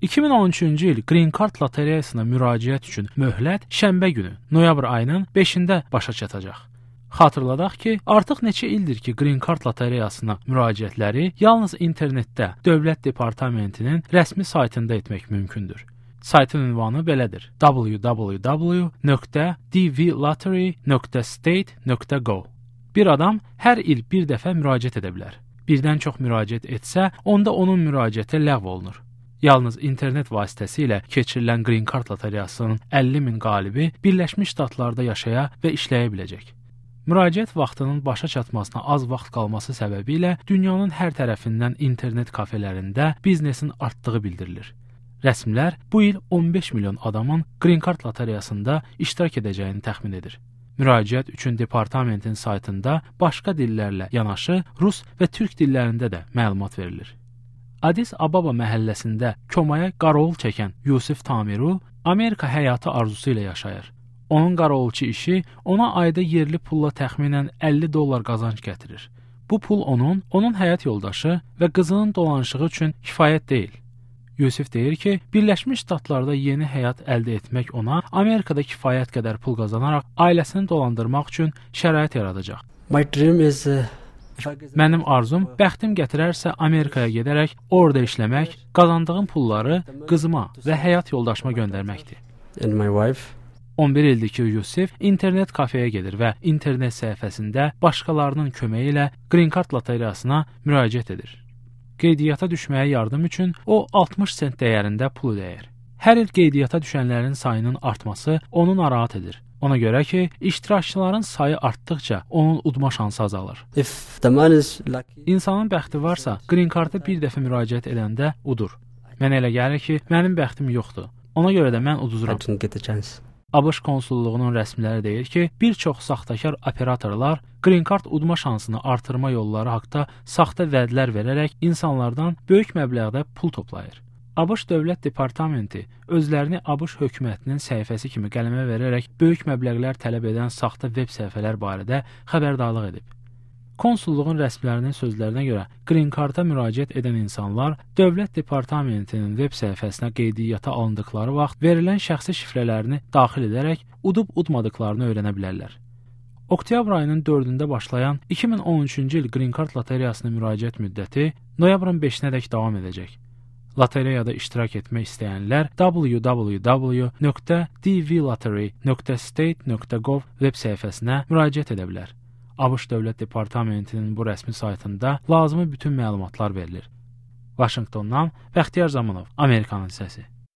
2013-cü il Green Card lotereyasına müraciət üçün möhlət şənbə günü, noyabr ayının 5-də başa çatacaq. Xatırladaq ki, artıq neçə ildir ki, Green Card lotereyasına müraciətləri yalnız internetdə Dövlət Departamentinin rəsmi saytında etmək mümkündür. Saytın ünvanı belədir: www.dvlottery.state.gov. Bir adam hər il bir dəfə müraciət edə bilər. Birdən çox müraciət etsə, onda onun müraciəti ləğv olunur. Yalnız internet vasitəsilə keçirilən Green Card lotereyasının 50.000 qalibi Birləşmiş Ştatlarda yaşaya və işləyə biləcək. Müraciət vaxtının başa çatmasına az vaxt qalması səbəbilə dünyanın hər tərəfindən internet kafelərində biznesin artdığı bildirilir. Rəsmilər bu il 15 milyon adamın Green Card lotereyasında iştirak edəcəyini təxmin edir. Müraciət üçün departamentin saytında başqa dillərlə yanaşı rus və türk dillərində də məlumat verilir. Addis Ababa məhəlləsində komaya qarovul çəkən Yusif Tamiru Amerika həyatı arzusu ilə yaşayır. Onun qarovulçu işi ona ayda yerli pulla təxminən $50 qazanc gətirir. Bu pul onun həyat yoldaşı və qızının dolanışığı üçün kifayət deyil. Yusif deyir ki, Birləşmiş Ştatlarda yeni həyat əldə etmək ona Amerikada kifayət qədər pul qazanaraq ailəsini dolandırmaq üçün şərait yaradacaq. Mənim arzum, bəxtim gətirərsə Amerikaya gedərək, orada işləmək, qazandığım pulları qızıma və həyat yoldaşıma göndərməkdir. 11 ildir ki, Yusif internet kafeyə gedir və internet səhifəsində başqalarının köməyi ilə Green Card lotereyasına müraciət edir. Qeydiyyata düşməyə yardım üçün o 60 sent dəyərində pul ödəyir. Hər il qeydiyyata düşənlərin sayının artması onu narahat edir. Ona görə ki, iştirakçıların sayı artdıqca onun udma şansı azalır. İnsanın bəxti varsa, Green Card-a bir dəfə müraciət edəndə udur. Mənə elə gəlir ki, mənim bəxtim yoxdur. Ona görə də mən uduzuram. ABŞ konsulluğunun rəsmiləri deyir ki, bir çox saxtakar operatorlar Green Card udma şansını artırma yolları haqqında saxta vədlər verərək insanlardan böyük məbləğdə pul toplayır. ABŞ Dövlət Departamenti özlərini ABŞ hökumətinin səhifəsi kimi qələmə verərək böyük məbləğlər tələb edən saxta veb səhifələr barədə xəbərdarlıq edib. Konsulluğun rəsmilərinin sözlərinə görə Green Card-a müraciət edən insanlar Dövlət Departamentinin veb səhifəsinə qeydiyyata alındıqları vaxt verilən şəxsi şifrələrini daxil edərək udub-udmadıqlarını öyrənə bilərlər. Oktyabr ayının 4-də başlayan 2013-cü il Green Card lotereyasına müraciət müddəti noyabrın 5-nədək davam edəcək. Lotereyada iştirak etmək istəyənlər www.dvlottery.state.gov veb səhifəsinə müraciət edə bilər. ABŞ Dövlət Departamentinin bu rəsmi saytında lazımi bütün məlumatlar verilir. Vaşinqtondan Bəxtiyar Zamanov, Amerikanın səsi.